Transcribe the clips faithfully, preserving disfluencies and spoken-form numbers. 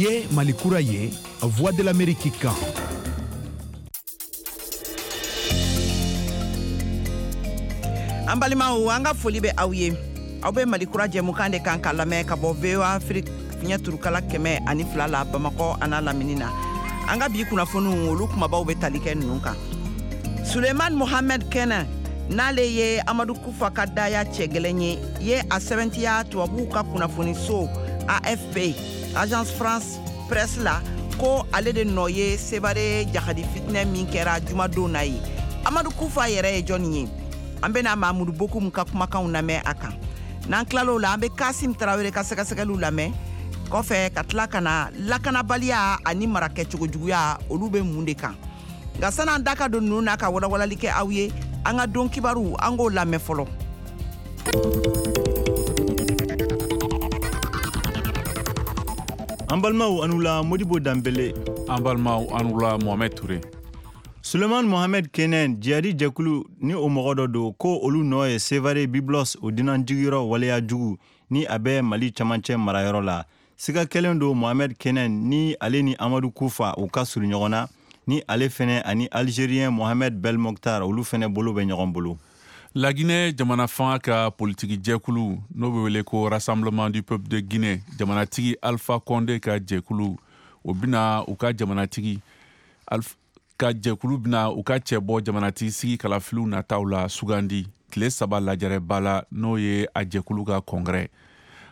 Ye Malikura ye, Voix de l'Amérique kan. An balimaw, an ka foli bɛ aw ye. Aw bɛ Malikura jɛmukan de kan ka lamɛn ka bɔ V O A Afrique fiɲɛ turukala kɛmɛ ani fila la Bamakɔ a n'a lamini na. An ka bi kunnafoniw, olu kumabaw bɛ tali kɛ ninnu kan. Suleiman Mohamed Kɛnɛ, n'ale ye Amadu Kufa ka daya cɛ gɛlɛn ye, ye a sɛbɛntiya tubabuw ka kunnafoniso A F P, Agence France Presse la, ko ale de nɔ ye Sevare jahadi fitinɛ min kɛra jumadon na ye. Amadu Kufa yɛrɛ ye jɔnni ye? An bɛna Mamudu Bokum ka kumakanw lamɛn a kan. N'an tilal'o la, an bɛ Kasim Tarawele ka sɛgɛsɛgɛliw lamɛn. Kɔfɛ ka tila ka na lakanabaliya ani marakɛcogojuguya, olu bɛ mun de kan? Nka san'an da ka don ninnu na ka walawalali kɛ aw ye, an ka don kibaru, an k'o lamɛn fɔlɔ. An balimaw, an wula. Modibo Danbele. An balimaw, an wula. Mohamed Touré. Suleiman Mohamed Kenen, jihadi jɛkulu ni o mɔgɔ dɔ don, ko olu nɔ ye Sevare Biblos o dunanjigiyɔrɔ waleya jugu ni a bɛ Mali camancɛ marayɔrɔ la. Siga kɛlen don Mohamed Kenen ni ale ni Amadu Kufa u ka surun ɲɔgɔn na, ni ale fɛnɛ ani Algérien Mohamed Belmokhtar, olu fɛnɛ bolo bɛ ɲɔgɔn bolo. Laginɛ jamana fanga ka politiki jɛkulu, n'o bɛ wele ko Rassemblement du peuple de Guinée, jamanatigi Alpha Condé ka jɛkulu, o bɛna u ka jamanatigi Alpha ka jɛkulu bɛna u ka cɛbɔ jamanatigi sigi kalafiliw nataw la sugandi tile saba lajɛrɛba la, n'o ye a jɛkulu ka congrès.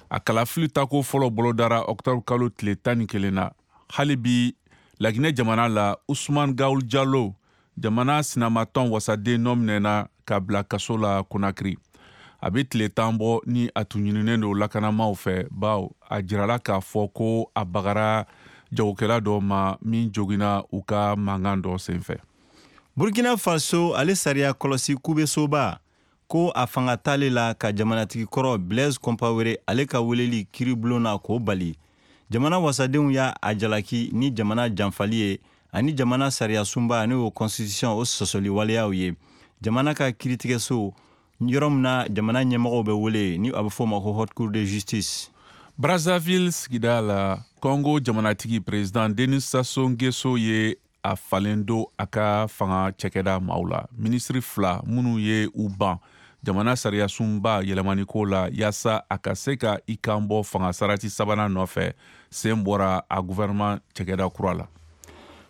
A kalafili tako fɔlɔ bolodara octobre kalo tile tan ni kelen na. Hali bi Laginɛ jamana la, Usman Gaul Jalo, jamana sinamatɔn wasaden, nɔ minɛna ka bila kaso la Konakiri. A bɛ tile tan bɔ ni a tun ɲininen don lakanamaw fɛ, bawo a jirala k'a fɔ ko a bagara jagokɛla dɔ ma min joginna u ka mankan dɔ senfɛ. Burkina Faso, ale sariya kɔlɔsi kubesoba ko a fanga t'ale la ka jamanatigi kɔrɔ Blaise Compaoré ale ka weleli kiiribulon na k'o bali. Jamana wasadenw y'a a jalaki ni jamana janfali ye ani jamana sariya sunba, n'o constitution, o sɔsɔli waleyaw ye. Jamana ka kiiritigɛso, yɔrɔ min na jamana ɲɛmɔgɔw bɛ wele, ni a bɛ fɔ o ma ko Haute Cour de justice. Brazzaville sigida la, Congo jamanatigi président Denis Sassou Nguesso ye a falen don a ka fanga cɛkɛda maaw la. Minisiri fila minnu ye u ban jamana sariya sunba yɛlɛmaniko la yaasa a ka se ka i kan bɔ fanga sarati sabanan nɔfɛ, sen bɔra a gouvernement cɛkɛda kura la.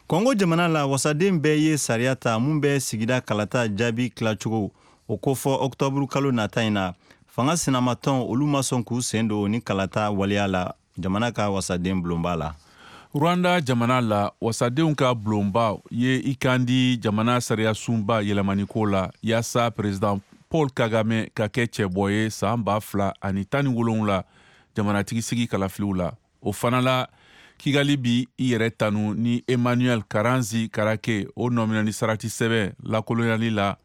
Congo jamana la, wasaden bɛɛ ye sariya ta mun bɛ sigida kalata jaabi tilacogo o kofɔ octobre kalo nata in na. Fanga sinamatɔn, olu ma sɔn k'u sen don ni kalata waleya la jamana ka wasaden bulonba la. Rwanda jamana la, wasadenw ka bulonba ye i kan di jamana sariya sunba yɛlɛmaniko la yaasa président Paul Kagame ka kɛ cɛbɔ ye san ba fila ani tan ni wolonwula jamanatigi sigi kalafiliw la. O fana la, Kigali bi i yɛrɛ tanu ni Emmanuel Karenzi Karake o nɔminɛni sarati sɛbɛn lakolonyali la,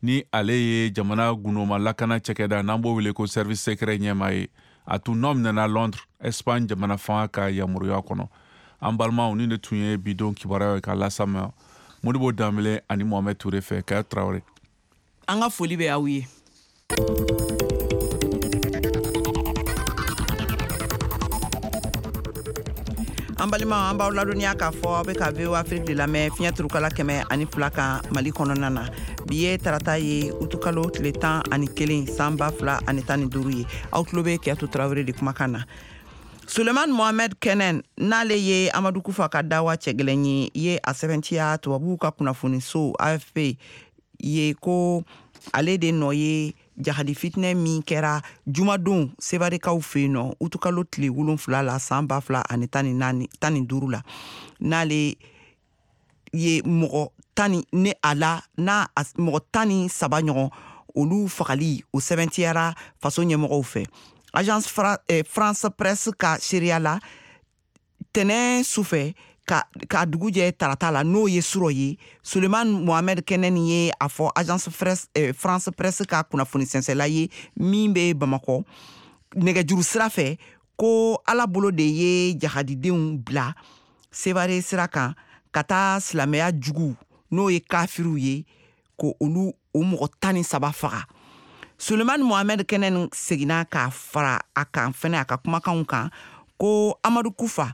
ni ale ye jamana gundoma lakana cɛkɛda, n'an b'o wele ko service secret, ɲɛma ye. A tun nɔ minɛna Londres, Espagne jamana fanga ka yamaruya kɔnɔ. An balimaw, ni de tun ye bidon kibaruyaw ye ka lasama Modibo Danbele ani Mohamed Touré fɛ. Kaya Traoré. An ka foli bɛ aw ye. An balimaw, an b'aw ladɔnniya k'a fɔ aw bɛ ka V O A Afrique de lamɛn fiɲɛ turukala kɛmɛ ani fila kan Mali kɔnɔna na. Bi ye tarata ye, utukalo tile tan ani kelen san ba fila ani tan ni duuru ye. Aw tulo bɛ Kiyatu Tarawele de kumakan na. Suleiman Mohamed Kenen, n'ale ye Amadu Kufa ka dawa cɛgɛlɛn ye, ye a sɛbɛntiya tubabuw ka kunnafoniso A F P ye ko ale de nɔ ye jahadi fitinɛ min kɛra jumadon Sevarekaw fɛ yen nɔ utukalo tile wolonfila la san ba fila ani tan ni naani, tan ni duuru la, n'ale ye mɔgɔ tan ni ne a la n'a a mɔgɔ tan ni saba ɲɔgɔn olu fagali, o sɛbɛntiyara faso ɲɛmɔgɔw fɛ. Agence Fra-, eh, France Presse ka seereya la, tɛnɛn sufɛ ka, ka dugu jɛ tarata la, n'o ye surɔ ye, Suleiman Mohamed Kenen ye a fɔ Agence Presse, eh, France Presse ka kunnafoni sɛnsɛnla ye min bɛ Bamakɔ nɛgɛjuru sira fɛ, ko Ala bolo de ye jahadidenw bila Sevare sira kan ka taa silamɛya jugu, n'o ye kafiriw ye, ko olu o mɔgɔ tan ni saba faga. Suleiman Mohamed Kenen seginna k'a fara a kan fɛnɛ a ka kumakanw kan ko Amadu Kufa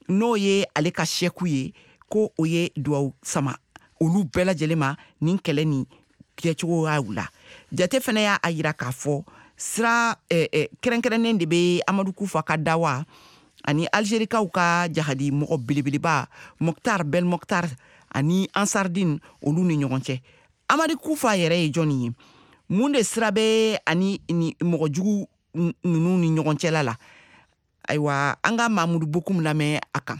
n'o ye ale ka sɛku ye, ko o ye duwawu sama olu bɛɛ lajɛlen ma nin kɛlɛ nin kɛcogoyaw la. Jate fɛnɛ y'a yira k'a fɔ sira eh, eh, kɛrɛnkɛrɛnnen de bɛ Amadu Kufa ka dawa ani Algerikaw ka jahadi mɔgɔ belebeleba Mokhtar Belmokhtar ani Ansardine olu ni ɲɔgɔn cɛ. Amadu Kufa yɛrɛ ye jɔnni ye? Mun de sira bɛ ani ni mɔgɔ jugu ninnu ni ɲɔgɔn cɛla la? Ayiwa, an ka Mamudu Bokum lamɛn a kan.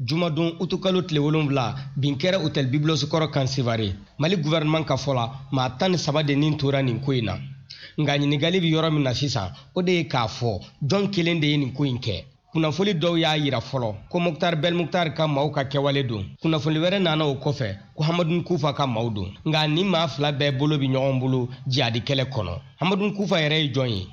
Jumadon utukalo tile wolonwula, bin kɛra hôtel Biblos kɔrɔ kan Sevare. Mali gouvernement ka fɔ la, maa tan ni saba de nin tora nin ko in na. Nka ɲininkali bɛ yɔrɔ min na sisan, o de ye k'a fɔ jɔn kelen de ye nin ko in kɛ. Kunnafoli dɔw y'a yira fɔlɔ ko Mokhtar Belmokhtar ka maaw ka kɛwale don. Kunnafoli wɛrɛ nana o kɔfɛ ko Hamadun Kufa ka maaw don. Nka nin maa fila bɛɛ bolo bɛ ɲɔgɔn bolo jihadi kɛlɛ kɔnɔ. Hamadun Kufa yɛrɛ ye jɔn ye?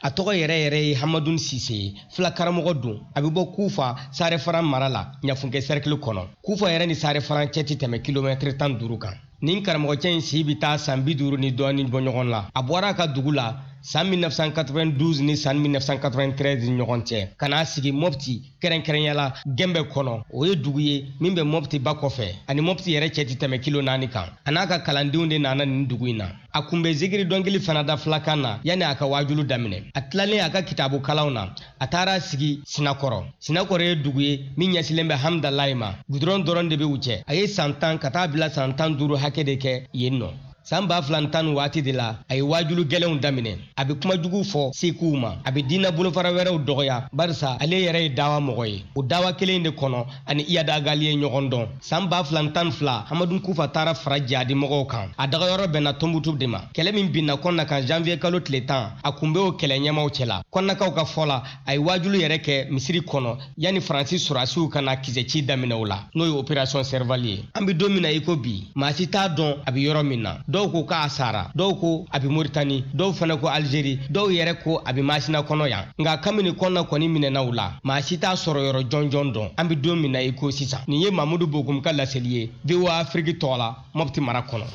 A tɔgɔ yɛrɛ yɛrɛ ye Hamadun Sise ye, fila karamɔgɔ don. A bɛ bɔ Kufa Sarefaran mara la, Ɲafunke cercle kɔnɔ. Kufa yɛrɛ ni Sarefaran cɛ tɛ tɛmɛ kilomɛtiri tan duuru kan. Nin karamɔgɔcɛ in si bɛ taa san bi duuru ni dɔɔnin bɔ ɲɔgɔn la. A bɔra a ka dugu la san mille neuf cent quatre-vingt-douze ni san mille neuf cent quatre-vingt-treize ni ɲɔgɔn cɛ, ka n'a sigi Mopti kɛrɛnkɛrɛnya la Gɛnbɛ kɔnɔ. O ye dugu ye min bɛ Mopti ba kɔfɛ, ani Mopti yɛrɛ cɛ tɛ tɛmɛ kilo naani kan. A n'a ka kalandenw de nana nin dugu in na. A kun bɛ zikiri dɔnkili fana da filakan na yanni a ka waajulu daminɛ. A tilalen a ka kitabu kalanw na, a taara sigi Sinakɔrɔ. Sinakɔrɔ ye dugu ye min ɲɛsilen bɛ Hamdalayi ma. Gudɔrɔn dɔrɔn de bɛ u cɛ. A ye san tan ka taa bila san tan duuru hakɛ de kɛ yen nɔ. San ba fila ni tan ni waati de la, a ye waajulu gɛlɛnw daminɛ. A bɛ kuma jugu fɔ sekuw ma, a bɛ diinɛ bolofara wɛrɛw dɔgɔya, barisa ale yɛrɛ ye dawa mɔgɔ ye. O dawa kelen de kɔnɔ ani Iyad Ag Ghali ye ɲɔgɔn dɔn. San ba fila ni tan ni fila, Hamadun Kufa taara fara jihadi mɔgɔw kan. A dagayɔrɔ bɛnna Tɔnbukutu de ma. Kɛlɛ min binna Kɔnna kan janvier kalo tile tan, a kun bɛ o kɛlɛ ɲɛmaw cɛla. Kɔnnakaw ka fɔ la, a ye waajulu yɛrɛ kɛ misiri kɔnɔ yanni Faransi sɔrɔdasiw ka na kisɛci daminɛ o la, n'o ye opération Serval ye. An bɛ don min na i ko bi, maa si t'a dɔn a bɛ yɔrɔ min na. Dɔw ko k'a sara, dɔw ko a bɛ Moritani, dɔw fana ko Algérie, dɔw yɛrɛ ko a bɛ Masina kɔnɔ yan. Nka kabini Kɔnna kɔni minɛna u la, maa si t'a sɔrɔ yɔrɔ jɔnjɔn dɔn. An bɛ don min na i ko sisan. Nin ye Mamudu Bokum ka laseli ye V O A Afrique tɔgɔ la, Mopti mara kɔnɔ.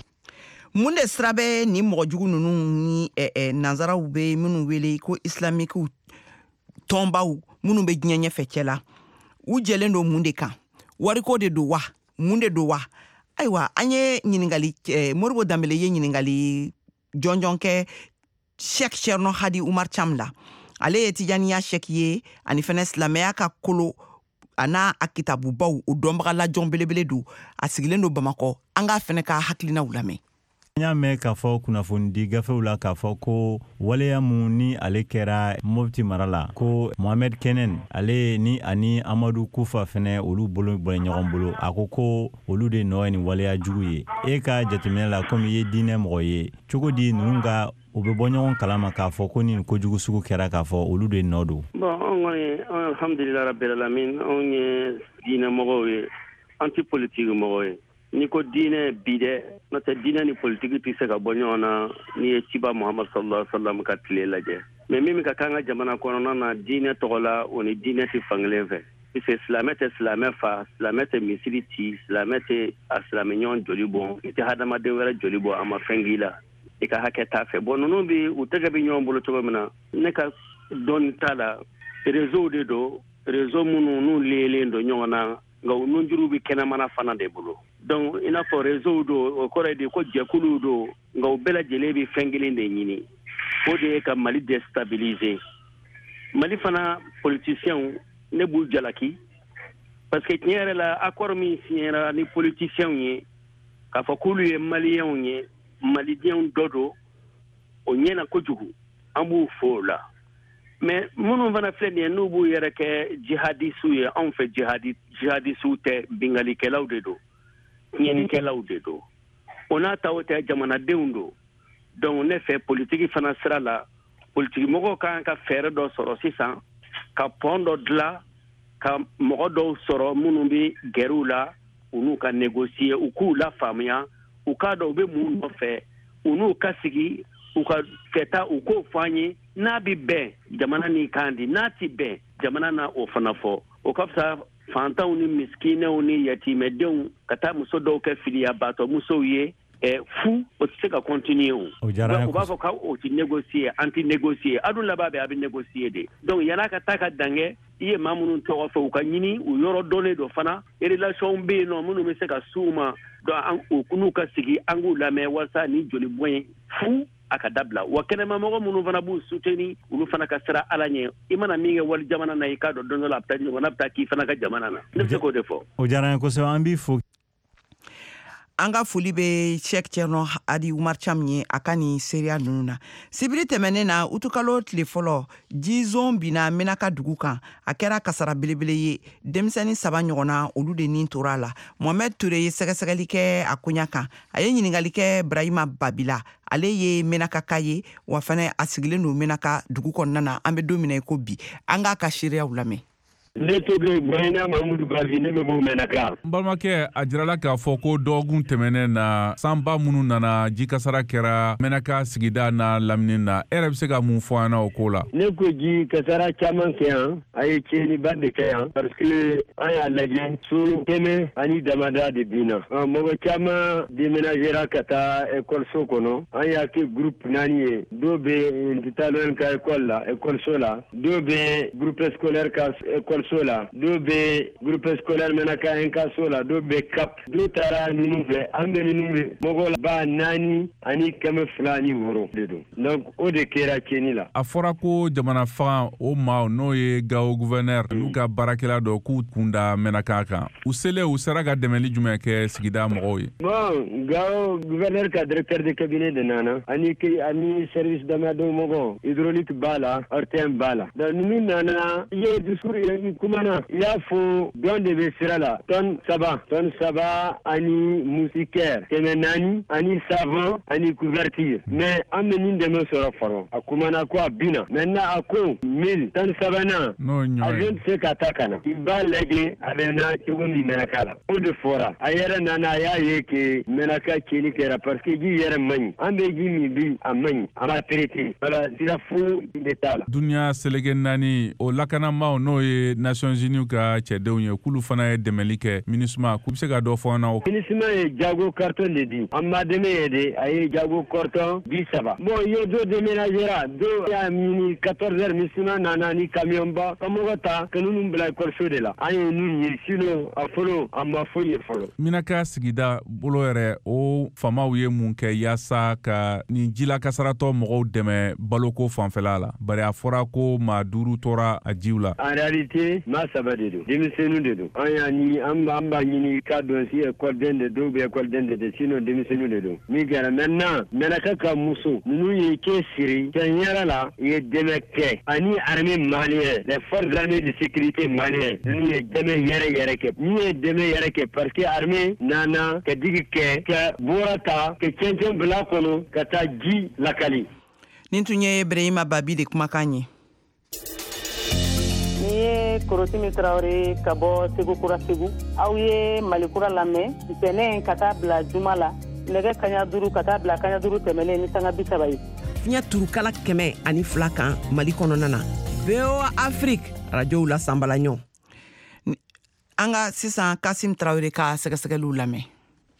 Mun de sira bɛ nin mɔgɔ jugu ninnu ni eh, eh, nanzaraw bɛ minnu wele ko islamikiw tɔnbaw minnu bɛ diɲɛ ɲɛfɛ cɛ la? U jɛlen don mun de kan? Wariko de don wa? Mun de don wa? Ayiwa, an ye ɲininkali eh, Moribo Danbele ye ɲininkali jɔnjɔn kɛ Cheikh Cherno Hadi Umar Cham la. Ale ye Tijaniya Cheikh ye, ani fɛnɛ silamɛya ka kolo a n'a a kitabubaw o dɔnbaga lajɔn belebele don. A sigilen don Bamakɔ. An k'a fɛnɛ ka hakilinaw lamɛn. N y'a mɛn k'a fɔ kunnafonidi gafew la k'a fɔ ko waleya mun ni ale kɛra Mopti mara la, ko Mohamed Kenen ale ni ani Amadu Kufa fɛnɛ olu bolo bɔ ɲɔgɔn bolo. A ko ko olu de nɔ ye nin waleya jugu ye. E ka jateminɛ la, komi i ye diinɛ mɔgɔ ye, cogo di ninnu ka u bɛ bɔ ɲɔgɔn kalama k'a fɔ ko nin kojugu sugu kɛra k'a fɔ olu de nɔ don? Bon, anw kɔni, alhamdulilayi rabbil alamin, anw ye diinɛ mɔgɔw ye, an tɛ politiki mɔgɔw ye. N'i ko diinɛ bi dɛ, n'o tɛ diinɛ ni politiki tɛ se ka bɔ ɲɔgɔn na n'i ye ciba Muhammad sallallahu alaihi wa sallam ka tile lajɛ. Mais min bɛ ka k'an ka jamana kɔnɔna na diinɛ tɔgɔ la, o ni diinɛ tɛ fankelen fɛ. Puisque silamɛ tɛ silamɛ fa, silamɛ tɛ misiri ci, silamɛ tɛ a silamɛ ɲɔgɔn joli bɔn, i tɛ hadamaden wɛrɛ joli bɔn, a ma fɛn k'i la, i ka hakɛ t'a fɛ. Bon, ninnu bi u tɛgɛ bɛ ɲɔgɔn bolo cogo min na, ne ka dɔnni t'a la. Réseau de don, réseau minnu n'u liélen don ɲɔgɔn na, nka u nunjuru bɛ kɛnɛmana fana de bolo. Donc i n'a fɔ réseau don, o kɔrɔ ye de ko jɛkuluw don, nka u bɛɛ lajɛlen bɛ fɛn kelen de ɲini, o de ye ka Mali déstabiliser. Mali fana politiciens, ne b'u jalaki, parce que tiɲɛ yɛrɛ la, accord min signera ni politiciens ye k'a fɔ k'olu ye maliyɛnw ye, malidenw dɔ don, o ɲɛna kojugu, an b'u fo o la. Mais minnu fana filɛ nin ye, n'u b'u yɛrɛ kɛ jihadisiw ye, anw fɛ jihadi jihadisiw tɛ, bingalikɛlaw de don, tiɲɛnikɛlaw de don. O n'a ta o tɛ, jamanadenw don. Donc ne fɛ politiki fana sira la, politiki mɔgɔw kan ka fɛɛrɛ dɔ sɔrɔ sisan, ka pɔn dɔ dilan, ka mɔgɔ dɔw sɔrɔ minnu bɛ gɛrɛw la, u n'u ka négocier, u k'u lafaamuya, u k'a dɔn u bɛ mun nɔfɛ, u n'u ka sigi, u ka fɛta, u k'o fɔ an ye. N'a bɛ bɛn jamana ni kan di, n'a tɛ bɛn jamana na o fana fɔ. O ka fisa fantanw ni miskinɛw ni yatimɛdenw ka taa muso dɔw kɛ filiyabaatɔ musow ye eh, fu, o tɛ se ka continuer o. O diyara an ye U b'a fɔ k'o tɛ négocier, an tɛ négocier, a dun laban bɛ a bɛ négocier de. Donc yan'a ka taa ka dan kɛ, I ye maa minnu tɔgɔ fɔ, u ka ɲini u yɔrɔ dɔnnen dɔ fana, relation bɛ yen nɔ minnu bɛ se ka s'u ma. Donc u n'u ka sigi, an k'u lamɛn walasa ni joli bɔn ye fu a ka dabila. Wa kɛnɛmamɔgɔ minnu fana b'u soutenir, olu fana ka siran Ala ɲɛ. I mana min kɛ wali jamana na, i k'a dɔn don dɔ la a bɛ taa ɲɔgɔnna bɛ taa k'i fana ka jamana na. Ne bɛ se k'o de fɔ. O diyara n ye kosɛbɛ, an b'i fo. An ka foli bɛ Cheick Thierno Hady Oumar Thiam ye a ka nin seereya ninnu na. Sibiri tɛmɛnen na, utukalo tile fɔlɔ, jizon binna Menaka dugu kan. A kɛra kasara belebele ye. Denmisɛnnin saba ɲɔgɔnna, olu de nin tora a la. Mohamed Touré ye sɛgɛsɛgɛli kɛ a koɲa kan. A ye ɲininkali kɛ Brahima Babila, ale ye Menaka ye, wa fana a sigilen don Menaka dugu kɔnɔna na. An bɛ don min na i ko bi, an k'a ka seereyaw lamɛn. Ne tɔgɔ Brahima Mamudu Bavi, ne bɛ bɔ Menaka. N balimakɛ, a jirala k'a fɔ ko dɔgɔkun tɛmɛnen na, sanba minnu nana, jikasara kɛra Menaka sigida n'a lamini na. E yɛrɛ bɛ se ka mun fɔ an na o ko la? Ne ko ji kasara caman kɛ yan, a ye tiɲɛniba de kɛ yan, parce que an y'a lajɛ, so kɛmɛ ani damada de binna. Mɔgɔ caman déménagera ka taa école kɔnɔ. An y'a kɛ groupe naani ye. Dɔw bɛ Ntitalon ka école la, école la, dɔw bɛ groupe scolaire ka école so la, dɔw bɛ groupe scolaire Menaka un ka so la, dɔw bɛ C A P, dɔw taara ninnu fɛ. An bɛ ninnu fɛ, mɔgɔ ba naani ani kɛmɛ fila ani wɔɔrɔ de don. Donc o de kɛra tiɲɛni la. A fɔra ko jamana faga o maaw, n'o ye Gao gouverneur n'u ka baarakɛla dɔ, k'u kun da Menaka kan. U selen, u sera ka dɛmɛli jumɛn kɛ sigida mɔgɔw ye? Bon, Gao gouverneur ka directeur de cabinet de nana ani ani service damadɔ mɔgɔ, hydraulique b'a la, R T M b'a la. Donc ninnu nana, i ye discours ye, kumana, i y'a fɔ dɔn de bɛ sira la, tonne saba, tonne saba ani moustiquaire kɛmɛ naani ani savon ani couverture. Mais an bɛ nin dɛmɛ sɔrɔ fɔlɔ. A kumana ko a binna. Maintenant a ko mille tonne sabanan, avion tɛ se ka taa ka na, i b'a lajɛ a bɛ na cogo min Menaka la. O de fɔra. A yɛrɛ nana, a y'a ye que Menaka tiɲɛni kɛra, parce que ji yɛrɛ man ɲi. An bɛ ji min bi, a man ɲi, a ma traité. Voilà, sira foyi de t'a la. Duniya seleke naani o lakanamaw, n'o ye Nations Unies ka cɛdenw ye, k'olu fana ye dɛmɛli kɛ, MINUSMA, k'u bɛ se ka dɔ fɔ an na o? MINUSMA ye jago carton de di an ma, dɛmɛ ye de, a ye jago carton bi saba. Bon, i ye dɔ déménagera, dɔ y'a ɲini quatorze heures, MINUSMA nana ni camion ba ka mɔgɔ ta ka ninnu bila école de la. An ye ninnu ye, sinon a fɔlɔ, a ma foyi ye fɔlɔ. Menaka sigida bolo yɛrɛ, o faamaw ye mun kɛ yaasa ka nin jila kasaratɔ mɔgɔw dɛmɛ baloko fanfɛla la? Bari a fɔra ko maa duuru tora a jiw la. En réalité, maa saba de don, denmisɛnninw de don. An y'a ɲini, an b'a ɲini k'a dɔn si école den de dɔw bɛ école den de de, sinon denmisɛnninw de don. Min kɛra maintenant, Menaka ka muso ninnu ye cɛ siri tiɲɛ yɛrɛ la, u ye dɛmɛ kɛ, ani armée malienne, les forces armées de sécurité malienne, ninnu ye dɛmɛ yɛrɛ yɛrɛ kɛ. Ninnu ye dɛmɛ yɛrɛ kɛ, parce que armée nana ka digi kɛ, ka bɔra ta ka cɛncɛn bila kɔnɔ ka taa ji lakali. Nin tun ye Brahima Babi de kumakan ye. Ni ye Korotimi Tarawele ka bɔ Segu Kura, Segu. Aw ye Mali Kura lamɛn ntɛnɛn ka taa bila juma la, nɛgɛ kaɲa duuru ka taa bila kaɲa duuru tɛmɛnen ni sanga bi saba ye. Fiɲɛ turukala kɛmɛ ani fila kan Mali kɔnɔna na, V O A Afrique, arajow la sanbala ɲɔ. An ka sisan Kasim Tarawele ka sɛgɛsɛgɛliw lamɛn.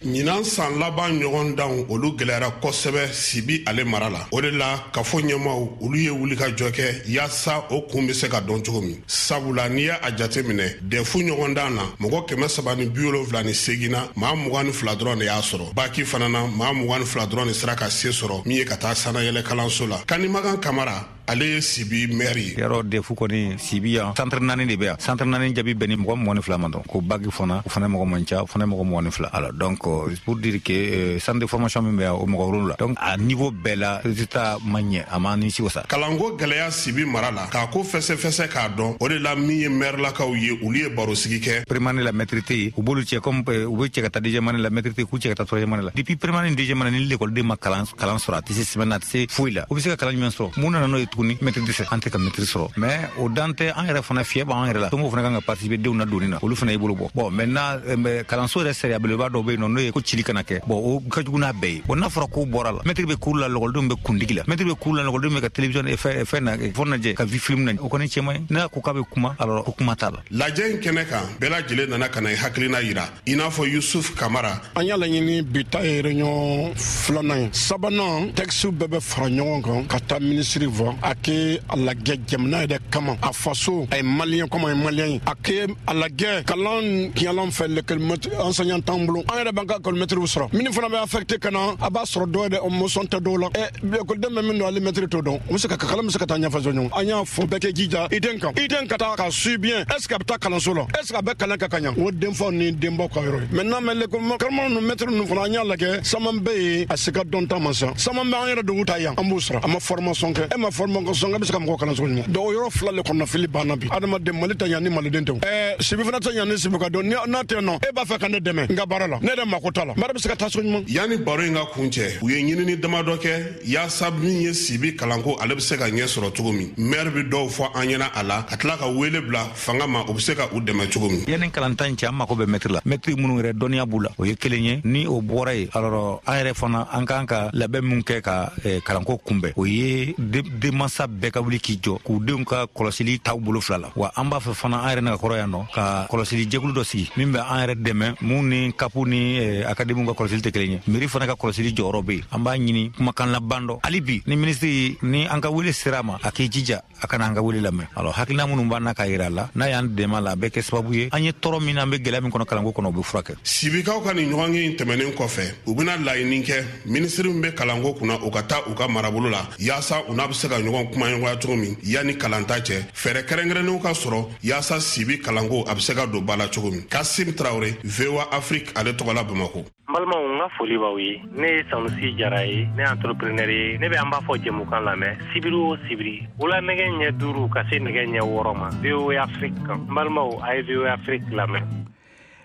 Ɲinan san laban ɲɔgɔn danw, olu gwɛlɛyara kosɛbɛ Sibi ale mara la. O de la, kafo ɲɛmaw, olu ye wulikajɔ kɛ yaasa o kun be se ka dɔn cogo min. Sabula n'i y'a jate minɛ, D E F ɲɔgɔndan na, mɔgɔ kɛmɛ saba ni bi wolonfila ni segin na, maa mugan ni fila dɔrɔn de y'a sɔrɔ. Bac fana na, maa mugan ni fila dɔrɔn de sera ka se sɔrɔ min ye ka taa sanayɛlɛ kalanso la. Kanimagan Kamara, ale ye Sibi maire ye. Yarɔ, D E F kɔni, Sibi yan, centre naani de bɛ yan. Centre naani jaabi bɛn ni mɔgɔ mugan ni fila ma dɔrɔn. Ko bac fana, o fana mɔgɔ man ca, o fana mɔgɔ mugan ni fila. Alors donc, pour dire que euh, centre de formation min bɛ yan, o mɔgɔ wolonwula. Donc a niveau bɛɛ la, résultat ma ɲɛ, a ma nimisi wasa. Kalanko gwɛlɛya Sibi mara la, k'a ko fɛsɛfɛsɛ k'a dɔn, o de la min ye maire lakaw ye, olu ye barosigi kɛ. Première année la, maître tɛ yen. U b'olu cɛ comme u bɛ cɛ ka taa deuxième année la, maître tɛ yen, k'u cɛ ka taa troisième année la. Depuis première année ni deuxième année, ni l'école ma kalan kalan sɔrɔ, a tɛ se sɛbɛn na, a tɛ se foyi la. U bɛ se ka kalan jumɛn sɔrɔ? Mun nana n'o ye tuguni? Maître dɛsɛ, an tɛ ka maître sɔrɔ. Mais o dan tɛ, an yɛrɛ fana fiyɛ b'an yɛrɛ la. Somɔgɔw fana kan ka participer denw na donni na, olu fana y'i bolo bɔ. Bon, maintenant, kalanso yɛrɛ sariya belebeleba dɔw bɛ yen nɔ, n'o ye ko cili kana kɛ. Bon, o ka jugu n'a bɛɛ ye. Bon, n'a fɔra k'o bɔra la, maître bɛ cours la, lɔkɔlidenw bɛ kundigi la. Maître bɛ cours la, lɔkɔlidenw bɛ ka télévision fɛn fɛn na, fɛn lajɛ, ka film na. O kɔni cɛ man ɲi. N'a ko k'a bɛ kuma, alors ko kuma t'a la. Lajɛ in kɛnɛ kan, bɛɛ lajɛlen nana ka na i hakilina yira, i n'a fɔ Yusuf Kamara. An y'a laɲini, bi ta ye réunion filanan ye. Sabanan, texte bɛɛ bɛ fara ɲɔgɔn kan ka taa minisiri fɔ. A kɛ a lajɛ jamana yɛrɛ kama, a faso, a ye malien comme a ye malien ye. A kɛ a lajɛ kalan tiɲɛlan fɛ, l'école enseignant t'an bolo, an yɛrɛ b'an ka école maître sɔrɔ. Minnu fana bɛ affecté ka na, a b'a sɔrɔ dɔw yɛrɛ motion tɛ dɔw la. Ɛ école bɛ min don, ale maître t'o dɔn. O bɛ se ka kalan bɛ se ka taa ɲɛfɛ ɲɔgɔn. An y'a fɔ bɛɛ kɛ jija i den kan, i den ka taa ka suit bien. Est ce que a bɛ taa kalanso la? Est ce que a bɛ kalan kɛ ka ɲa? O denfaw ni denbaw ka yɔrɔ ye. Maintenant, mais l'école karamɔgɔ ninnu, maître ninnu fana, an y'a lajɛ, caman bɛ yen a se ka dɔn ta ma sa. Caman bɛ an yɛrɛ dugu ta yan, an b'u sara, a ma formation kɛ. E ma formation kɛ, e bɛ se ka mɔgɔ kalan cogo jumɛn? Donc o yɔrɔ fila le kɔnɔnafili banna bi. Adamaden Mali tɛ ɲa ni maliden tɛ. Ɛɛ Sibi fana tɛ ɲa ni Sibi ka dɔn n'a tɛ nɔ. E b'a fɛ ka ne dɛmɛ n ka baara la, ne yɛrɛ mako t'a la, baara bɛ se ka taa so ɲuman. Yanni baro in ka kun cɛ, u ye ɲinini damadɔ kɛ yaasa min ye Sibi kalanko ale bɛ se ka ɲɛ sɔrɔ cogo min. Maire bɛ dɔw fɔ an ɲɛna a la, ka tila ka wele bila fanga ma, u bɛ se ka u dɛmɛ cogo min. Yanni kalantan cɛ, an mako bɛ mɛtiri la, mɛtiri minnu yɛrɛ dɔnniya b'u la, o ye kelen ye. Ni o bɔra yen, alors an yɛrɛ fana an kan ka labɛn min kɛ ka kalanko kunbɛn, o ye denmansa bɛɛ ka wuli k'i jɔ k'u denw ka kɔlɔsili t'aw bolo fila la. Wa an b'a fɛ fana an yɛrɛ n'a kɔrɔ yan nɔ ka kɔlɔsili jɛkulu dɔ sigi min bɛ an yɛrɛ dɛmɛ, mun ni kapu ni akademiw ka kɔlɔsili tɛ kelen ye. Mairie fana ka kɔlɔsili jɔyɔrɔ bɛ yen. An b'a ɲini kumakan laban dɔ hali bi, ni minisiri ni an ka wele sera a ma, a k'i jija a kana an ka wele lamɛn. Alors hakilina minnu b'an na k'a yira a la, n'a y'an dɛmɛ a la, a bɛ kɛ sababu ye an ye tɔɔrɔ min na, an bɛ gɛlɛya min kɔnɔ kalanko kɔnɔ, o bɛ furakɛ. Sibikaw ka nin ɲɔgɔnye in tɛmɛnen kɔfɛ, u bɛna laɲini kɛ minisiri min bɛ kalanko kunna, u ka taa u ka marabolo la yaasa u n'a bɛ se ka ɲɔgɔn kumaɲɔgɔnya cogo min yanni kalanta cɛ. Fɛɛrɛ kɛrɛnkɛrɛnnenw ka sɔrɔ yaasa Sibi kalanko a bɛ se ka don ba la cogo min. Kasim Traoré, V O A Afrique, ale tɔgɔ la Bamakɔ. N balimaw, n ka foli b'aw ye. Ne ye Sanusi Jara ye, ne ye entrepreneur ye. Ne bɛ an b'a fɔ jɛmukan lamɛn sibiri o sibiri wula nɛgɛ ɲɛ duuru ka se nɛgɛ ɲɛ wɔɔrɔ ma V O A Afrique kan. N balimaw, a ye V O A Afrique lamɛn.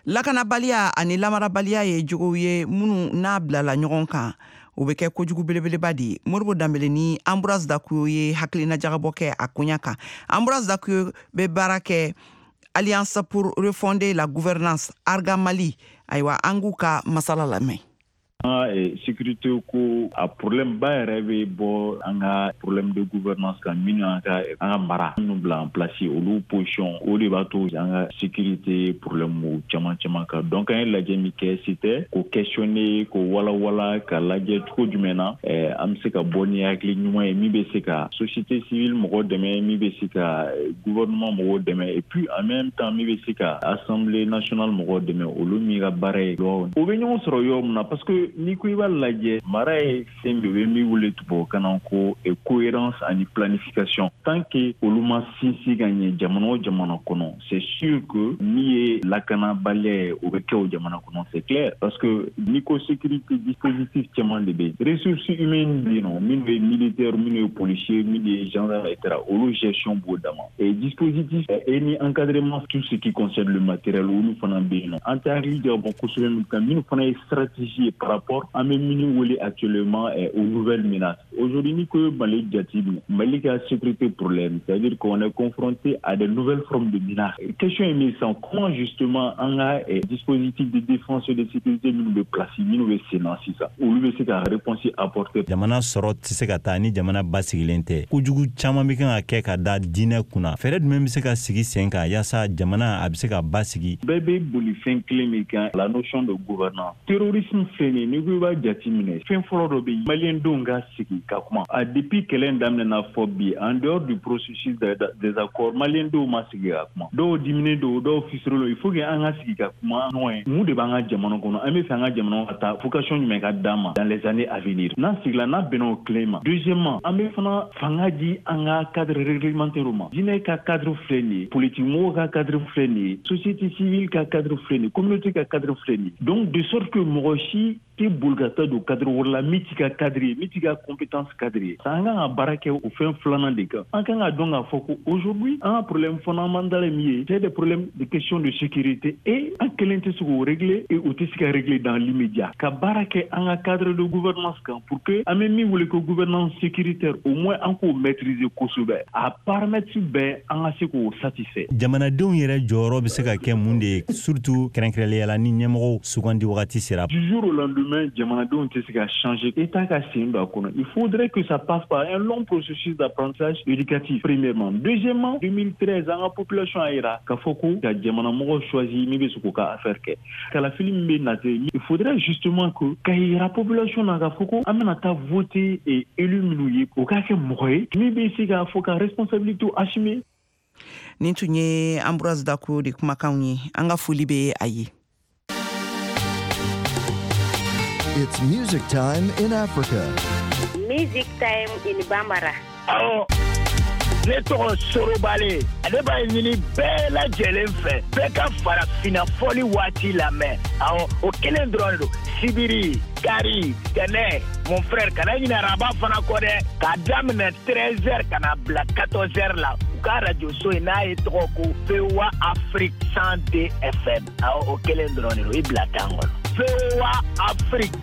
Lakanabaliya ani lamarabaliya ye jogow ye minnu n'a bilala ɲɔgɔn kan, o bɛ kɛ kojugu belebeleba de ye. Moribo Danbele ni Ambroise Dakuyo ye hakilina jagabɔ kɛ a koɲa kan. Ambroise Dakuyo bɛ baara kɛ Alliance pour refonder la gouvernance, Arga Mali. Ayiwa, an k'u ka masala lamɛn. An ka sécurité ko a problème ba yɛrɛ bɛ bɔ an ka problème de gouvernance kan, minnu an ka an ka mara minnu bila en place, olu position, o de b'a to an ka sécurité problème caman caman kan. Donc an ye lajɛ min kɛ, c'était k'o questionner, k'o walawala, ka lajɛ cogo jumɛn na an bɛ se ka bɔ ni hakili ɲuman ye min bɛ se ka société civile mɔgɔw dɛmɛ, min bɛ se ka gouvernement mɔgɔw dɛmɛ, et puis en même temps min bɛ se ka assemblée nationale mɔgɔw dɛmɛ, olu min ka baara ye. O bɛ ɲɔgɔn sɔrɔ yɔrɔ min na, parce que n'i ko i b'a lajɛ, mara ye fɛn min, u bɛ min wele tubabukan na ko cohérence ani planification. Tant que olu ma sinsin ka ɲɛ jamana o jamana kɔnɔ, c'est sûr que min ye lakanabaliya ye, o bɛ kɛ o jamana kɔnɔ, c'est clair. Parce que n'i ko sécurité, dispositif caman de bɛ yen, ressources humaines bɛ yen nɔ, minnu ye militaire, minnu ye policier, minnu ye gendarme, et cetera, olu gestion b'o dama. Et dispositif et ni encadrement, tout ce qui concerne le matériel, olu fana bɛ yen nɔ. An tɛ hakili jagabɔ kosɛbɛ min kan, minnu fana ye stratégie ye par rapport an bɛ minnu wele actuellement aux nouvelles menaces. Aujourd'hui, ni ko Mali jate minɛ, Mali ka sécurité problème, c'est-à-dire qu'on est confronté à de nouvelles formes de menaces. Question ye min ye sisan, comment justement an ka dispositif de défense et de sécurité minnu bɛ place, minnu bɛ sen na sisan, olu bɛ se ka réponse apporter. Jamana sɔrɔ tɛ se ka taa ni jamana basigilen tɛ. Kojugu caman bɛ kan ka kɛ ka da diinɛ kunna. Fɛɛrɛ jumɛn bɛ se ka sigi sen kan yaasa jamana a bɛ se ka basigi? Bɛɛ bɛ boli fɛn kelen min kan, la notion de gouvernance. Terrorisme filɛ nin ye, n'i ko i b'a jate minɛ, fɛn fɔlɔ dɔ bɛ yen, maliyɛn denw ka sigi ka kuma. A depuis kɛlɛ in daminɛna fɔ bi, en dehors du processus des accords, maliyɛn denw ma sigi ka kuma. Dɔw diminen don, dɔw fisirelen don. Il faut que an ka sigi ka kuma ɲɔgɔn ye. Mun de b'an ka jamana kɔnɔ? An bɛ fɛ an ka jamana ka taa vocation jumɛn ka d'an ma dans les années à venir? N'an sigila, n'a bɛnna o kelen ma. Deuxièmement, an bɛ fana fanga di an ka cadre réglementaire ma. Diinɛ ka cadre filɛ nin ye, politique mɔgɔw ka cadre filɛ nin ye, société civile ka cadre filɛ nin ye, communauté ka cadre filɛ nin ye. Donc de sorte que mɔgɔ si tɛ boli ka taa don cadre wɛrɛ la min t'i ka cadre ye, min t'i ka compétence cadre ye. An kan ka baara kɛ o fɛn filanan de kan. An kan ka dɔn k'a fɔ ko aujourd'hui an ka problème fondamental ye min ye, c'est des problèmes de question de sécurité, et an kelen tɛ se k'o régler, et o tɛ se ka régler dans l'immédiat. Ka baara kɛ an ka cadre de gouvernance kan pour que an bɛ min wele ko gouvernance sécuritaire, au moins an k'o maîtriser kosɛbɛ, a paramètre bɛɛ an ka se k'o satisfait. Jamanadenw yɛrɛ jɔyɔrɔ bɛ se ka kɛ mun de ye, surtout kɛrɛnkɛrɛnnenya la ni ɲɛmɔgɔw sugandi wagati sera? Du jour au lendemain, lendemain jamanadenw tɛ se ka changer. État ka sen don a kɔnɔ. Il faudrait que ça passe par un long processus d'apprentissage éducatif premièrement. Deuxièmement, deux mille treize an ka population a yira k'a fɔ ko ka jamanamɔgɔ choisi min bɛ se k'u ka affaire kɛ. Kalafili min bɛ nate, il faudrait justement que ka yira population na k'a fɔ ko an bɛna taa voter et élu minnu ye o k'a kɛ mɔgɔ ye min bɛ se k'a fɔ ka responsabilité assumer. Nin tun ye Ambroise Dako de kumakanw ye. An ka foli bɛ a ye. It's music time in Africa. Music time in Bambara. Awɔ, ne tɔgɔ Sorobale, ale b'a ɲini bɛɛ lajɛlen fɛ, bɛɛ ka farafinna fɔli waati lamɛn. Awɔ, o kelen dɔrɔn don. Sibiri, kari, tɛnɛ, mon frère, kana ɲinɛ araba fana kɔ dɛ, k'a daminɛ treize heures ka na bila quatorze heures la. U ka radio so in n'a ye tɔgɔ ko V O A Afrique cent deux F M. Awɔ, o kelen dɔrɔn de don, i bila tan kɔnɔ. V O A Afrique.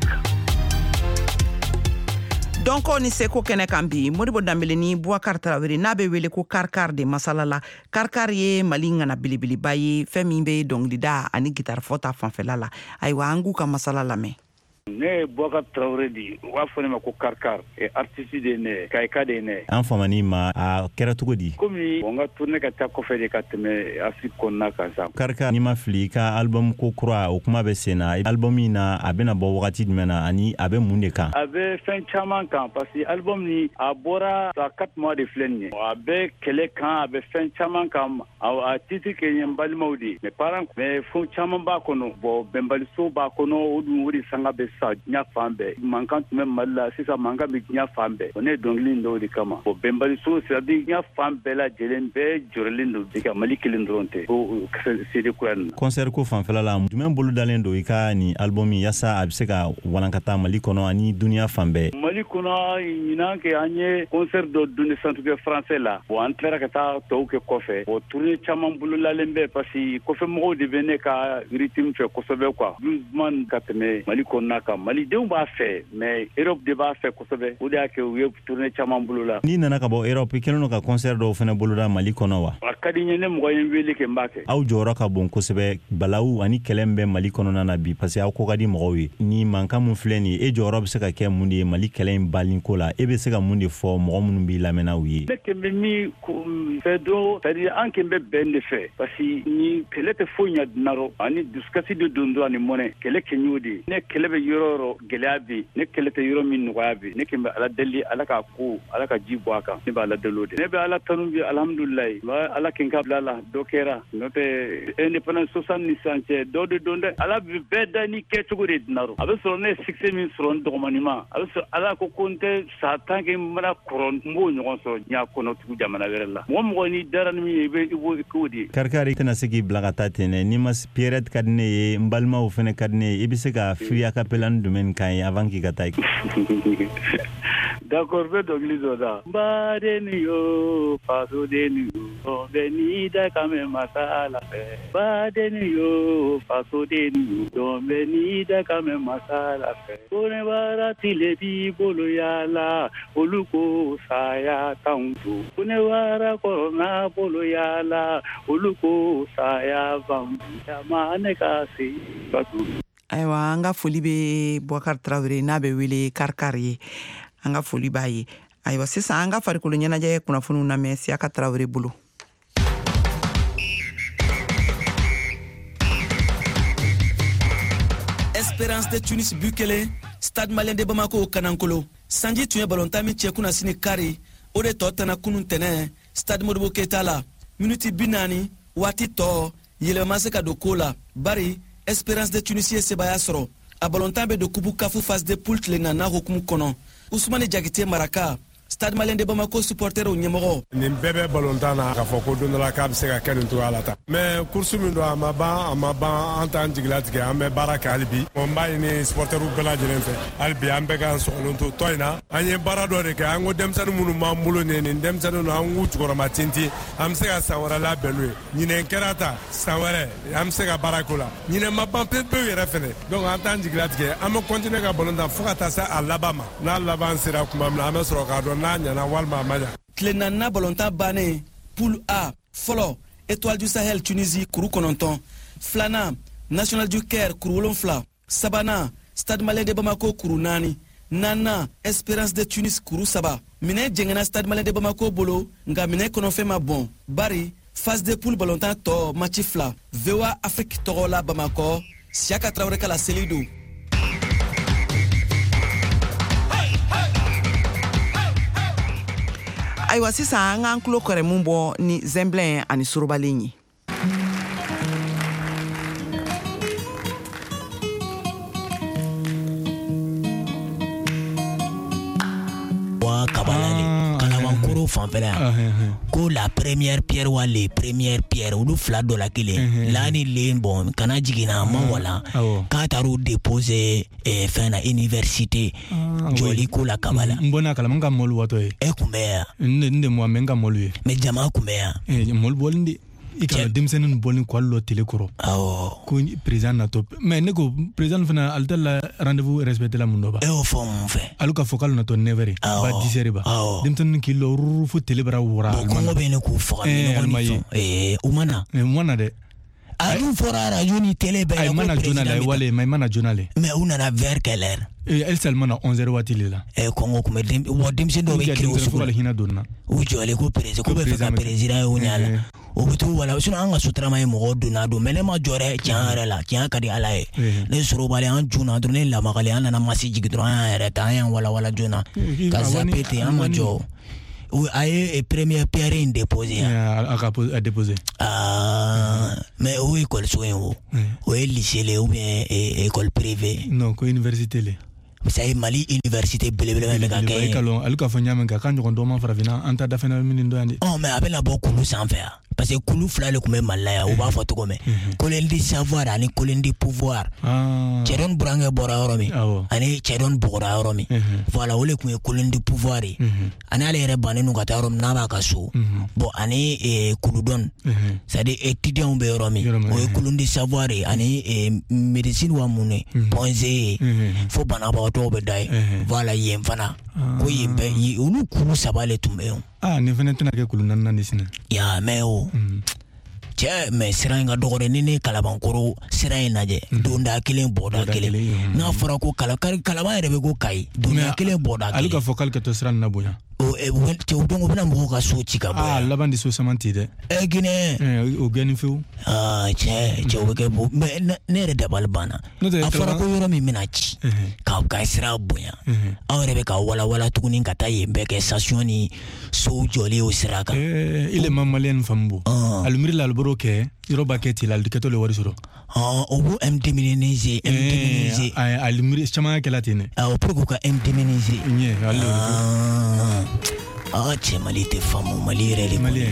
Dɔnko ni seko kɛnɛ kan bi, Modibo Danbele ni Boubacar Traoré n'a bɛ wele ko Karkar de masala la. Karkar ye Mali ŋana belebeleba ye, fɛn min bɛ dɔnkilida ani guitare fɔ ta fanfɛla la. Ayiwa, an k'u ka masala lamɛn. Ne ye Boubacar Traoré de ye, u b'a fɔ ne ma ko Karkar, artiste de ye ne ye, Kayika de ye ne ye. An famani ma, a kɛra cogo di? Komi n ka tournée ka taa kɔfɛ de ka tɛmɛ Afrique kɔnɔna kan sa. Karkar, n'i ma fili, i ka album ko kura o kuma bɛ sen na. Album in na, a bɛna bɔ wagati jumɛn na ani a bɛ mun de kan? A bɛ fɛn caman kan parce que album ni a bɔra sa quatre mois de filɛ nin ye. A bɛ kɛlɛ kan, a bɛ fɛn caman kan. A titre kɛ n ye n balimaw de ye, mes parents, mais fɛn caman b'a kɔnɔ. Bon, bɛnbaliso b'a kɔnɔ, o dun o de sanga bɛ sa diɲɛ fan bɛɛ. Mankan tun bɛ Mali la, sisan mankan bɛ diɲɛ fan bɛɛ. Ne ye dɔnkili in dɔw de kama. Bon, bɛnbaliso, c'est à dire diɲɛ fan bɛɛ lajɛlen bɛɛ jɔrɔlen don bi ka Mali kelen dɔrɔn tɛ. O C D kura nin na. Concert ko fanfɛla la, jumɛn bolo dalen don i ka nin album yaasa a bɛ se ka walankata Mali kɔnɔ ani dunuya fan bɛɛ? Mali kɔnɔ, ɲinan kɛ an ye concert dɔ donné centre français la. Bon, an tilara ka taa tɔw kɛ kɔfɛ. Bon, tournée caman bololalen bɛ parce que kɔfɛ mɔgɔw de bɛ ne ka rythme fɛ kosɛbɛ quoi. Doucement ka tɛmɛ Mali kɔnɔna kan. Malidenw b'a fɛ, mais Europe de b'a fɛ kosɛbɛ. O de y'a kɛ u ye tournée caman bolola. N'i nana ka bɔ Europe, i kɛlen don ka concert dɔw fana boloda Mali kɔnɔ wa? A ka di n ye, ne mɔgɔ ye n wele kɛ n b'a kɛ. Aw jɔyɔrɔ ka bon kosɛbɛ balawu ani kɛlɛ min bɛ Mali kɔnɔna na bi, parce que aw ko ka di mɔgɔw ye. Ni mankan mun filɛ nin ye, e jɔyɔrɔ bɛ se ka kɛ mun de ye Mali kɛlɛ in baliko la? E bɛ se ka mun de fɔ mɔgɔ minnu b'i lamɛnna u ye? Ne kɛn bɛ min fɛ dɔrɔn, c'est à dire an kɛn bɛ bɛn de fɛ, parce que ni kɛlɛ tɛ foyi ɲɛ dunan rɔ, ani dusukasi de don dɔrɔn ani mɔnɛ. Kɛlɛ kɛ y'o de ye. Ne kɛlɛ bɛ yɔrɔ o yɔrɔ, gɛlɛya bɛ yen. Ne kɛlɛ tɛ yɔrɔ min, nɔgɔya bɛ yen. Ne kɛn bɛ Ala deli, Ala k'a ko, Ala ka ji bɔ a kan. Ne bɛ Ala deli o de. Ne bɛ Ala tanu bi, alhamdulilayi. N bɛ Ala kɛ n ka bila la, dɔ kɛra. N'o tɛ indépendance soixante ni sisan cɛ, dɔ de don dɛ. Ala bɛ bɛɛ da ni kɛcogo de dunan rɔ. A bɛ sɔrɔ ne ye succès min sɔrɔ n dɔgɔmanin ma, a bɛ sɔrɔ Ala ko ko n tɛ sa tant que n mana kɔrɔ, n b'o ɲɔgɔn sɔrɔ diɲɛ kɔnɔ tugun jamana wɛrɛ la. Mɔgɔ mɔgɔ n'i dara ni min ye, i bɛ i b'o k'o de ye. Karkar, i tɛna se k'i bila ka taa ten dɛ. N'i ma Pierrette ka di ne ye, n balimaw fana ka di ne ye, i bɛ se ka Firi acapella ni jumɛn kan ye avant k'i ka taa? D'accord, n bɛ dɔnkili dɔ da. N badenni yo, fasodenni yo, bɛɛ n'i da kan mɛn masa la fɛ. Badenni yo, fasodenni yo, bɛɛ n'i da kan mɛn masa la fɛ. Ko ne bara tile b'i bolo yaala, olu ko saya t'anw to. Ko ne bara kɔrɔ bolo yaala, olu ko saya b'anw to. Jama ne ka se ka to. Ayiwa, an ka foli bɛ Boubacar Traoré n'a bɛ wele Karkar ye. An ka foli b'a ye. Ayiwa, sisan an ka farikolo ɲɛnajɛ kunnafoniw lamɛn Siyaka Traoré bolo. Espérance de Tunis but kelen, Stade Malien de Bamako kanankolo. Sanji tun ye balontan min cɛ kunnasini kari, o de tɔ tana kunun tɛnɛ Stade Modibo Keita la. Miniti bi naani waati tɔ yɛlɛma ma se ka don ko la, bari Espérance de Tunis ye sebaaya sɔrɔ. A balontan bɛ don kupu kafu phase de poule tile naaninan hukumu kɔnɔ. Usumani Jakite Maraka, Stade Malien de Bamako supporterw ɲɛmɔgɔ. Nin bɛɛ bɛ balontan na k'a fɔ ko don dɔ la k'a bɛ se ka kɛ nin cogoya la tan. Mais course min don, a ma ban, a ma ban, an t'an jigilatigɛ, an bɛ baara kɛ hali bi. N b'a ɲini supporterw bɛɛ lajɛlen fɛ hali bi, an bɛɛ k'an sɔgɔlen to tɔ in na. An ye baara dɔ de kɛ, an ko denmisɛnnin minnu b'an bolo nin ye, nin denmisɛnnin ninnu an k'u jukɔrɔma tintin, an bɛ se ka san wɛrɛ labɛn n'u ye. Ɲinɛn kɛra ta, san wɛrɛ an bɛ se ka baara k'o la. Ɲinɛn ma ban pewu pewu yɛrɛ fɛnɛ. Donc an t'an jigilatigɛ, an bɛ continuer ka balontan fo ka taa se a laban ma. N'a laban sera tuma min na, an bɛ sɔrɔ k'a dɔn n'a ɲɛna walima a ma ɲa. Tile naaninan balontan bannen, poule A fɔlɔ, Étoile du Sahel Tunisie kuru kɔnɔntɔn, filanan National du Caire kuru wolonfila, sabanan Stade Malien de Bamako kuru naani, naaninan Esperance de Tunis kuru saba. Minɛn jɛngɛnna Stade Malien de Bamako bolo, nka minɛn kɔnɔfɛn ma bɔn, bari phase de poule balontan tɔ match fila. V O A Afrique tɔgɔ la Bamakɔ, Siaka Traoré ka laseli don. Ayiwa, sisan an k'an tulo kɛrɛ mun bɔ ni zɛnbilɛn ani sorobalen ye. Wa kabala le Kalabankoro fanfɛla yan, ko la première pierre wa les premières pierres, olu fila dɔ la kelen la ni len bɔn kana jiginna ma wala k'a taar'u déposer fɛn na université jɔli ko la Kabala. N bɔnna kalama, n ka mɔlu watɔ ye. E kun bɛ yan? N de mɔ, mɛ n ka mɔlu ye. Mais jama kun bɛ yan? Mɔlu bɔlen de. I ka denmisɛnnin bɔlen k'ale lɔ télé kɔrɔ. Awɔ. Ko président natɔ, mais ne ko président fana ale tɛ la rendez-vous respecté la mun dɔ ba. E y'o fɔ mun fɛ? Ale ka fɔ k'ale natɔ neuf heures ba dix heures ba. Awɔ. Denmisɛnnin k'i lɔ ruru fo télé bara wara. Bon, kɔngɔ bɛ ne k'u faga. Ɛɛ alima ye. Ee u ma na. U ma na dɛ. A dun fɔra radio ni télé bɛɛ la. Ayi, ma na joona la, wale mais ma na joona le. Mais u nana vers quelle heure? Ee Elsa ma na onze heures waati le la. Ee kɔngɔ kun bɛ den, wa denmisɛnnin dɔw bɛ kiri o sugu la. Hinɛ donna. U jɔlen ko président ko bɛ fɛ ka président ye o ɲɛ la. O bɛ t'u wala, sinon an ka sotarama ye mɔgɔw donna don, mais ne ma jɔ dɛ, tiɲɛ yɛrɛ la, tiɲɛ ka di Ala ye. Ne sorobalen an joona dɔrɔn, ne lamagalen an nana masi jigin dɔrɔn, an y'an yɛrɛ ta, an y'an walawala joona ka zappe ten, an ma jɔ. A ye première pierre in déposé yan. A ka déposé. Ah, mais o école so in o, o ye lycée le ou bien école privée? Non, ko université le. Ça ye Mali université belebele bɛ ka kɛ. E ka lɔn, ale ka fɔ ɲa min kan, k'a ɲɔgɔn dɔ ma farafinna, an ta dafɛnna min dɔ yan de. Ɔ mais a bɛna bɔ kulu sanfɛ yan. Parce que kulu fila de tun bɛ Mali la yan, u b'a fɔ cogo min. Colonne du savoir ani colonne du pouvoir. Cɛdɔn burankɛ bɔra yɔrɔ min, ani cɛdɔn bɔgɔra yɔrɔ min. Voilà, o de tun ye colonne du pouvoir ye. Ani ale yɛrɛ bannen don ka taa yɔrɔ min n'a b'a ka so. Bon, ani kuludɔn, c'est à dire étudiants bɛ yɔrɔ min, o ye colonne du savoir ye, ani médecine wa mun ye, Point G ye, fo banabagatɔw bɛ da ye. Voilà, yen fana. Ko yen bɛɛ, olu kulu saba de tun bɛ yen. Ah, nin fana tɛna kɛ kulu naaninan de sinɛ. Ya mɛ o cɛ, mɛ sira in ka dɔgɔ dɛ. Ni ne Kalabankoro sira in lajɛ, donda kelen bɔda kelen, n'a fɔra ko kala Kalaban yɛrɛ bɛ ko Kayi, donda kelen bɔda kelen. Ale ka fɔ k'ale ka to sira nin na bonya. O cɛ, o don o bɛna mɔgɔw ka so ci ka bɔ. Ah, laban de so caman ti dɛ. Ɛ Ginɛ. O gɛnni fewu. Ah cɛ, cɛ o bɛ kɛ bo, mɛ ne yɛrɛ dabali banna. A fɔra ko yɔrɔ min bɛna ci, ka ka sira bonya, aw yɛrɛ bɛ ka walawala tuguni ka taa yen bɛɛ kɛ station ni sow jɔlen o sira kan. Ee ile ma maliyɛn faamu bo. Ali miiri la ali bɔr'o kɛ, yɔrɔ b'a kɛ ten la, ali kɛtɔ le wari sɔrɔ. O b'o indemniser, indemniser. Ali miiri caman kɛla ten dɛ. Awɔ, pour k'u ka indemniser. Ɲɛ ale. Ah cɛ, Mali tɛ faamu, Mali yɛrɛ de. Mali.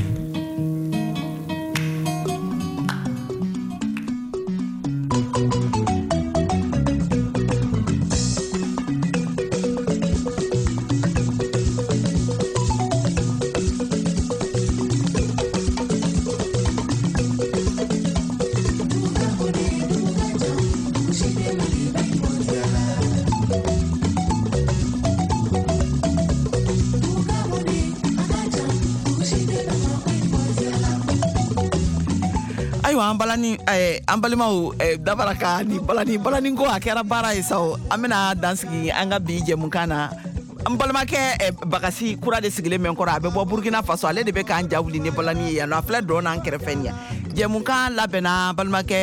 Ayiwa, an balani an balimaw, dabara ka ni balani balani ko a kɛra baara ye sa o. An bɛna dan sigi an ka bi jɛmukan na. N balimakɛ Bagasi kura de sigilen bɛ n kɔrɔ, a bɛ bɔ Burkina Faso, ale de bɛ k'an ja wuli ni balani ye yan nɔ. A filɛ dɔn n'an kɛrɛfɛ nin ye. Jɛmukan labɛnna balimakɛ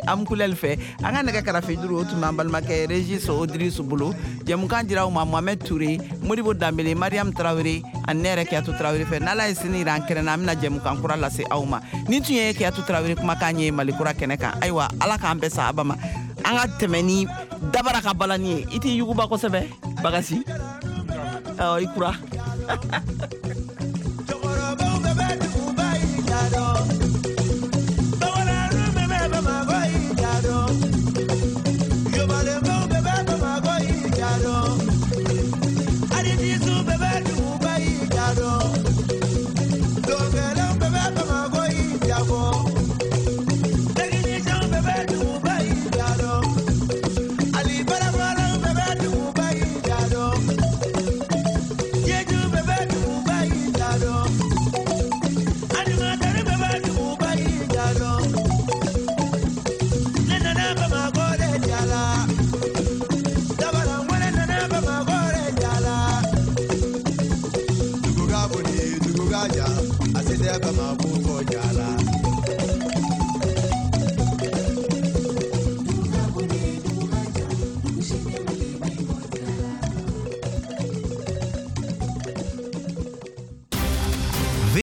Amukulɛli fɛ. An ka nɛgɛ karafe juru o tun b'an balimakɛ Régis Odris bolo. Jɛmukan dira aw ma Mohamed Touré, Modibo Danbele, Mariam Traoré ani ne yɛrɛ Kiyatu Traoré fɛ. N'Ala ye sini yira an kɛnɛ na, an bɛna jɛmukan kura lase aw ma. Nin tun ye Kiyatu Traoré kumakan ye Mali kura kɛnɛ kan. Ayiwa, Ala k'an bɛɛ sa aba ma. An ka tɛmɛ ni dabara ka balani ye. I t'i yuguba kosɛbɛ Bagasi? Ɔ i kura. Bye. A se tɛ Bamakɔ kɔ ja la.